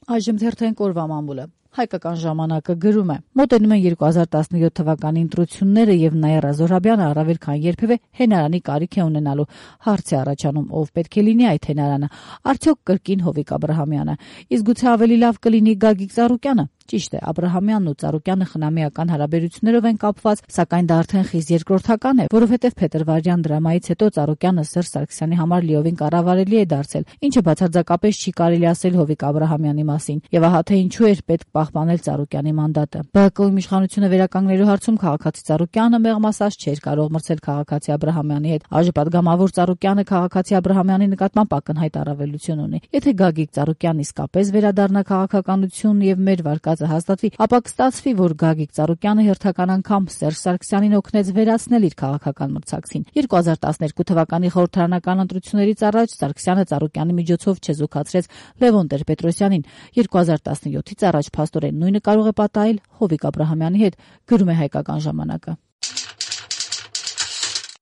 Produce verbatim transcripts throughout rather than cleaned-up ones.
Այժմ թերթային կորվա մամուլը։ Հայկական ժամանակը գրում է. մոտենում են երկու հազար տասնյոթ թվականի ընտրությունները եւ Նաիրա Զոհրաբյանը առավել քան երբևէ հենարանի կարիք է ունենալու։ Հարց է առաջանում, ով պետք է լինի այդ հենարանը։ Արդյոք կրկին Հովիկ Աբրահամյանը։ Իսկ գուցե ավելի լավ կլինի Գագիկ Ծառուկյանը։ Ճիշտ է, Աբրահամյանն ու Ծառուկյանը խնամիական հարաբերություններով են կապված, սակայն դա արդեն խիստ երկրորդական է, որովհետև փետրվարյան դրամայից հետո Ծառուկյանը Սերժ Սարգսյանի համար լիովին կառավարելի է դարձել, ինչը բացարձակապես չի կարելի ասել Հովիկ Աբրահամյանի մասին։ Եվ ահա թե ինչու էր պետք պահպանել Ծառուկյանի մանդատը։ ԲՀԿ-ում իշխանությունը վերականգնելու հարցում քաղաքացի Ծառուկյանը մեղմասած չէր կարող մրցել քաղաքացի Աբրահամյանի հետ։ Այժմ պատգամավոր Ծառուկյանը քաղաքացի Աբրահամյանի նկատմամբ ակնհայտ առավելություն ունի։ Եթե Գագիկ Ծառուկյանն իսկապես վերադառնա քաղաքականություն եւ մեր վարկածը հաստատվի, ապա կստացվի, որ Գագիկ Ծառուկյանը հերթական անգամ Սերժ Սարգսյանին օգնեց վերացնել իր քաղաքական մրցակցին։ երկու հազար տասներկու թվականի խորհրդարանական ընտրություններից առաջ Սարգսյանը Ծառուկյանի միջոցով չեզոքացրեց Լևոն Տեր-Պետրոսյանին։ երկու հազար տասնյոթից առաջ փաստորեն նույնը կարող է պատահել Հովիկ Աբրահամյանի հետ, գրում է Հայկական ժամանակը։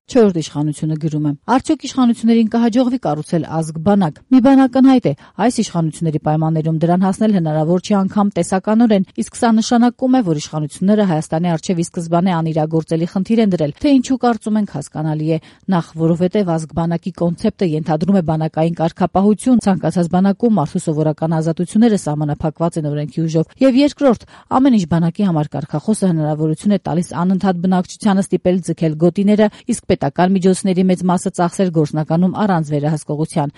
Չորրորդ իշխանությունը գրում է. Արդյոք իշխանություններին կհաջողվի կառուցել ազգ-բանակ։ Մի բան ակնհայտ է, այս իշխանությունների պայմաններում դրան հասնել հնարավոր չի անգամ տեսականորեն, իսկ սա նշանակում է, որ իշխանությունները Հայաստանի առջև ի սկզբանե անիրագործելի խնդիր են դրել, թե ինչու կարծում ենք հասկանալի է։ Նախ, որովհետև ազգ-բանակի կոնցեպտը ենթադրում է բանակային կարգապահություն, ցանկացած բանակում մարդու սովորական ազատությունները սահմանափակված են օրենքի ուժով, եւ երկրորդ, ամեն ինչ բանակի համար կարգախոսը հնարավորություն է տալիս անընդհատ բնակչությանը ստիպել ձգել գոտիները, իսկ պետական միջոցների մեծ մասը ծախսել գործնականում առանց վերահսկողության։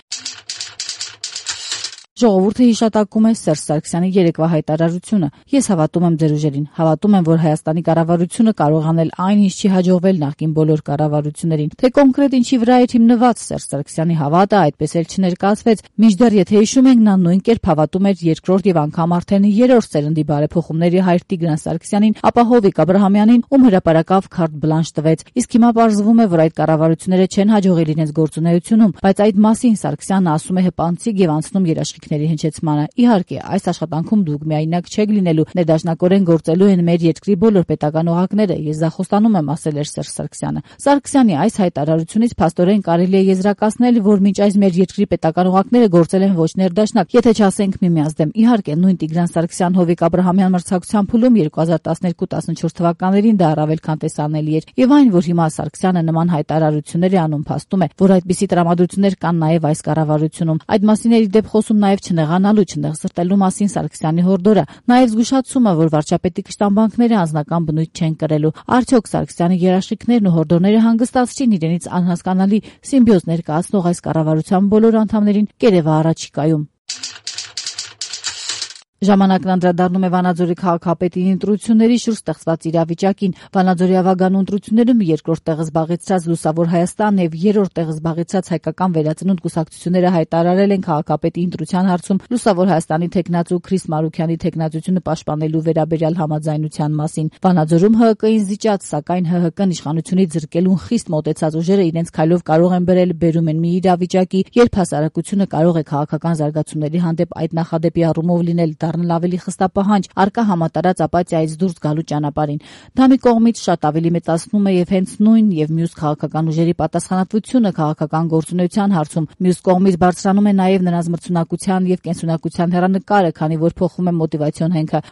Ժողովուրդը հիշատակում է Սերժ Սարգսյանի երեկվա հայտարարությունը։ Ես հավատում եմ ձեր ուժերին, հավատում եմ, որ Հայաստանի կառավարությունը կարող անել այն, ինչ չի հաջողվել նախկին բոլոր կառավարություններին։ Թե կոնկրետ ինչի վրա է հիմնված Սերժ Սարգսյանի հավատը, այդպես էլ չներկայացվեց։ Մինչդեռ եթե հիշում ենք, նա նույն կերպ հավատում էր երկրորդ եւ անգամ արդեն երրորդ սերնդի բարեփոխումների հայր Տիգրան Սարգսյանին, ապա Հովիկ Աբրահամյանին, ում հրապարակավ քարտ բլանշ տվեց։ Իսկ հիմա պարզվում է, որ այդ կառավարությունները չեն հաջողել իրենց գործունեությունում, բայց այդ մասին Սարգսյանը ասում է հպանցիկ եւ անցնում երաշխիքների հնչեցմանը։ Իհարկե, այս աշխատանքում դուք միայնակ չեք լինելու, ներդաշնակորեն գործելու են մեր երկրի բոլոր պետական օղակները, ես դա խոստանում եմ, ասել էր Սերժ Սարգսյանը։ Սարգսյանի այս հայտարարությունից փաստորեն կարելի է եզրակացնել, որ մինչ այս մեր երկրի պետական օղակները գործել են ոչ ներդաշնակ, եթե չասենք միմյանց դեմ։ Իհարկե, նույն Տիգրան Սարգսյան-Հովիկ Աբրահամյան մրցակցության փուլում երկու հազար տասներկու տասնչորս թվականներին դա առավել քան տեսանելի էր։ Եվ այն, որ հիմա Սարգսյանը նման հայտարարություններ է անում, փաստում է, որ այդպիսի տրամադրություններ կան նաև այս կառավարությունում։ Այդ մասին էր դեպ խոսում նաև չնեղանալու, չնեղսրտելու մասին Սարգսյանի հորդորը, նաև զգուշացումը, որ վարչապետի կշտամբանքները անձնական բնույթ չեն կրելու։ Արդյոք Սարգսյանի երաշխիքներն ու հորդորները հանգստացրին իրենից անհասկանալի սիմբիոզ ներկայացնող այս կառավարության բոլոր անդամներին կերևա առաջիկայում։ Ժամանակն անդրադառնում է Վանաձորի քաղաքապետի ընտրությունների շուրջ ստեղծված իրավիճակին։ Վանաձորի ավագանու ընտրություններում երկրորդ տեղը զբաղեցրած Լուսավոր Հայաստանն եւ երրորդ տեղը զբաղեցրած Հայկական վերածնունդ կուսակցությունները հայտարարել են քաղաքապետի ընտրության հարցում Լուսավոր Հայաստանի թեկնածու Քրիս Մարուքյանի թեկնածությունը պաշտպանելու վերաբերյալ համաձայնության մասին։ Վանաձորում Հ Հ Կին զիջած, սակայն Հ Հ Կն իշխանությունից զրկելուն խիստ մոտեցած ուժերը իրենց քայլով կարող են բերել բերում են մի իրավիճակի, երբ հասարակությունը կարող է քաղաքական զարգացումների հանդեպ այդ նախադեպի առումով լինել դառնել ավելի խստապահանջ, արկա համատարած ապաթիայից դուրս գալու ճանապարհին։ Դա մի կողմից շատ ավելի մեծացնում է եւ հենց նույն եւ մյուս քաղաքական ուժերի պատասխանատվությունը քաղաքական գործունեության հարցում, մյուս կողմից բարձրանում է նաեւ նրանց մրցունակության եւ կենսունակության հեռանկարը, քանի որ փոխվում է մոտիվացիոն հենքը։